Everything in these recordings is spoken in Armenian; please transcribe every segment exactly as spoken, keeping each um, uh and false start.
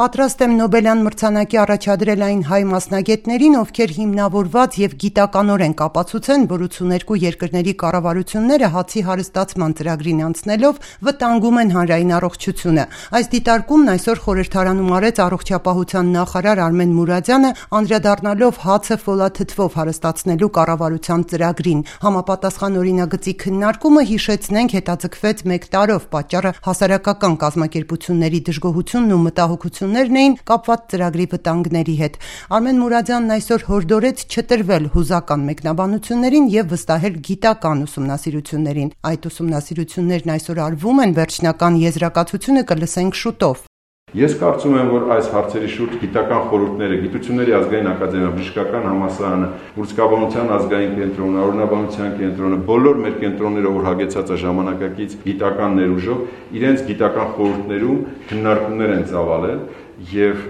Պատրաստ եմ Նոբելյան մրցանակի առաջադրել այն հայ մասնագետներին, ովքեր հիմնավորված եւ գիտականորեն կապացուցեն, որ ութսուներկու երկրների կառավարությունները հացի հարստացման ծրագրին անցնելով վտանգում են հանրային առողջությունը։ Այս դիտարկումն այսօր խորհրդարանում արեց առողջապահության նախարար Արմեն Մուրադյանը, անդրադառնալով հացը ֆոլաթթվով հարստացնելու կառավարության ծրագրին։ Համապատասխան օրինագծի քննարկումը, հիշեցնենք, հետաձգվեց մեկ տարով, պատճառը հասարակական կազմակերպությունների դժգոհությունն ու մտահոգություններն էին կապված ծրագրի վտանգների հետ։ Արմեն Մուրադյանն այսօր հորդորեց չտրվել հուզական մեկնաբանություններին եւ վստահել գիտական ուսումնասիրություններին։ Այդ ուսումնասիրություններն այսօր արվում են, վերջնական եզրակացությունը կլսենք շուտով։ Ես կարծում եմ, որ այս հարցերի շուրջ գիտական խորհուրդները, Գիտությունների ազգային ակադեմիա, Բժշկական համալսարանը, Ուրցկաբանության ազգային կենտրոնը, Օրինաբանության կենտրոնը, բոլոր մեր կենտրոնները, որ հագեցած է ժամանակակից գիտական ներուժով, իրենց գիտական խորհուրդներում քննարկումներ են ծավալել եւ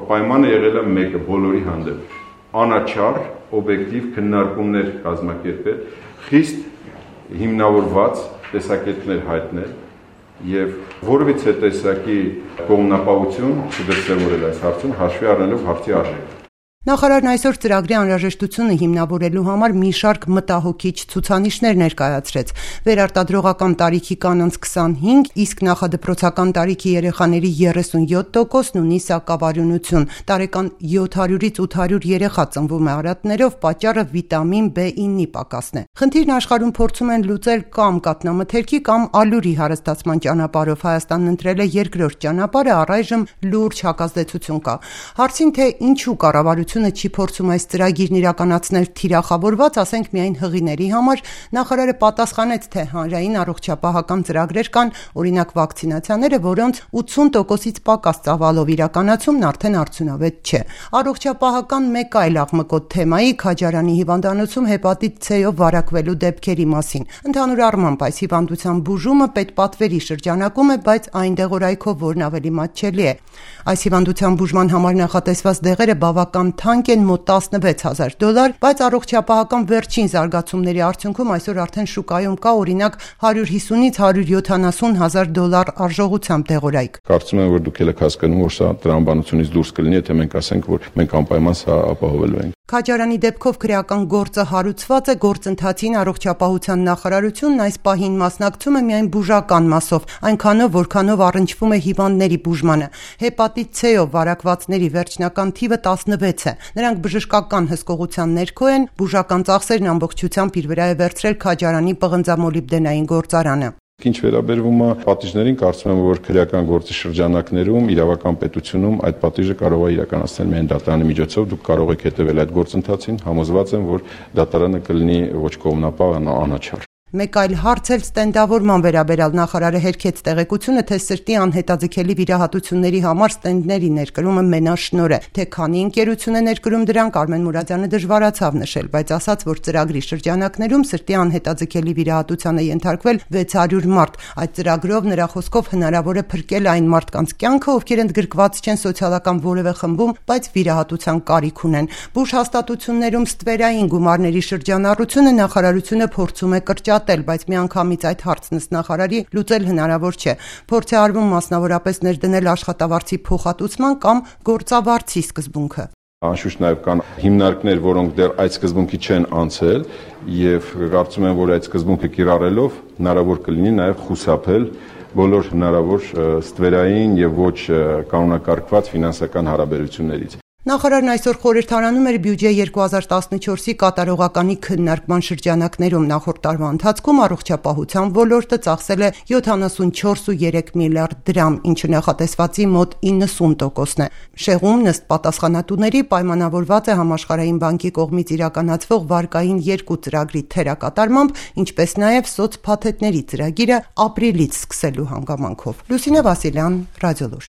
պայմանը եղել է մեկը բոլորի հանդեպ՝ անաչառ, օբյեկտիվ քննարկումներ կազմակերպել, խիստ հիմնավորված տեսակետներ հայտնել եւ որևիցե տեսակի կողմնապահություն չդրսևորել այս հարցում, հաշվի առնելով հարցի արժեքը։ Նախարարն այսօր ծրագրի անհրաժեշտությունը հիմնավորելու համար մի շարք մտահոգիչ ցուցանիշներ ներկայացրեց։ Վերարտադրողական տարիքի կանանց քսանհինգ, իսկ նախադպրոցական տարիքի երեխաների երեսունյոթ տոկոսն ունի սակավարյունություն։ Տարեկան յոթ հարյուրից ութ հարյուր երեխա ծնվում է արատներով, պատճառը վիտամին B ինը պակասն է։ Խնդիրն աշխարհում փորձում են լուծել կամ կաթնամթերքի կամ ալյուրի հարստացման ճանապարհով։ Հայաստանն ընտրել է երկրորդ ճանապարհը, առայժմ լուրջ հակազդեցություն կա։ Հարցին, թե ինչու կառավարությունը չի փորձում այս ծրագիրն իրականացնել թիրախավորված, ասենք միայն հղիների համար, նախարարը պատասխանեց, թե հանրային առողջապահական ծրագրեր կան, օրինակ վակցինացիաները, որոնց ութսուն տոկոսից պակաս ծավալով իրականացումն արդեն արդյունավետ չէ։ Առողջապահական մեկ այլ աղմկոտ թեմայի Քաջարանի հիվանդանոցում հեպատիտ C-ով վարակվելու դեպքերի մասին։ Ընդհանուր առմամբ այս հիվանդության բուժումը պետպատվերի շրջանակում է, բայց այն դեղորայքով, որն ավելի մատչելի է։ Այս հիվանդության բուժման համար նախատեսված դեղերը բավական թանկ են, մոտ տասնվեց հազար դոլար, բայց առողջապահական վերջին զարգացումների արդյունքում այսօր արդեն շուկայում կա օրինակ հարյուր հիսունից հարյուր յոթանասուն հազար դոլար արժողությամբ դեղորայք։ Կարծում եմ, որ դուք եք հասկանում, որ սա տրամաբանությունից դուրս կլինի, եթե մենք ասենք, որ մենք անպայման սա ապահովելու ենք։ Քաջարանի դեպքով քրեական գործը հարուցված է, գործընթացին առողջապահության նախարարությունն այս պահին մասնակցում է միայն բուժական մասով, այնքանով, որքանով առնչվում է հիվանդների բուժմանը։ Հեպատիտ C-ով վարակվածների վերջնական թիվը տասնվեց է։ Նրանք բժշկական հսկողության ներքո են, բուժական ծախսերն ամբողջությամբ իր վրա է վերցրել Քաջարանի պղնձամոլիբդենային գործարանը։ Ինչ վերաբերվում է պատիժներին, կարծում եմ, որ քրեական գործի շրջանակներում իրավական պետությունում այդ պատիժը կարող է իրականացնել միայն դատարանի միջոցով։ Դուք կարող եք հետևել այդ գործընթացին, համոզված եմ, որ դատարանը կլինի ոչ կողմնապահ, անաչառ։ Մեկ այլ հարց էլ ստենդավորման վերաբերյալ նախարարը հերքեց տեղեկությունը, թե սրտի անհետաձգելի վիրահատությունների համար ստենդների ներկրումը մենաշնորհ է։ Թե քանի ընկերություն է ներկրում դրանք, Արմեն Մուրադյանը դժվարացավ նշել, բայց ասաց, որ ծրագրի շրջանակներում սրտի անհետաձգելի վիրահատության է ենթարկվել վեց հարյուր մարդ։ Այդ ծրագրով նրա խոսքով հնարավոր է փրկել այն մարդկանց կյանքը, ովքեր ընդգրկված չեն սոցիալական որևէ խմբում, բայց վիրահատության կարիք ունեն։ Բուժ հաստատություններում ստվերային գումարների շրջանառությունը նախարարությունը փորձում է կրճատել, բայց միանգամից այդ հարցն ըստ նախարարի լուծել հնարավոր չէ։ Փորձ է արվում մասնավորապես ներդնել աշխատավարձի փոխհատուցման կամ գործավարձի սկզբունքը։ Անշուշտ նաև կան հիմնարկներ, որոնք դեռ այդ սկզբունքի չեն անցել, եւ կարծում եմ, որ այդ սկզբունքը կիրառելով հնարավոր կլինի նաև խուսափել բոլոր հնարավոր ստվերային եւ ոչ կանոնակարգված ֆինանսական հարաբերություններից։ Նախարարն այսօր խորհրդարանում էր բյուջե երկու հազար տասնչորսի կատարողականի քննարկման շրջանակներում։ Նախորդ տարվա ընթացքում առողջապահության ոլորտը ծախսել է յոթանասունչորս կόμμα երեք միլիարդ դրամ, ինչը նախատեսվածի մոտ իննսուն տոկոսն է։ Շեղում ըստ պատասխանատուների պայմանավորված է Համաշխարհային բանկի կողմից իրականացվող վարկային երկու ծրագրի թերակատարմամբ, ինչպես նաև սոցփաթեթների ծրագիրը ապրիլից սկսելու հանգամանքով։ Լուսինե Վասիլյան, Ռադիոլուր։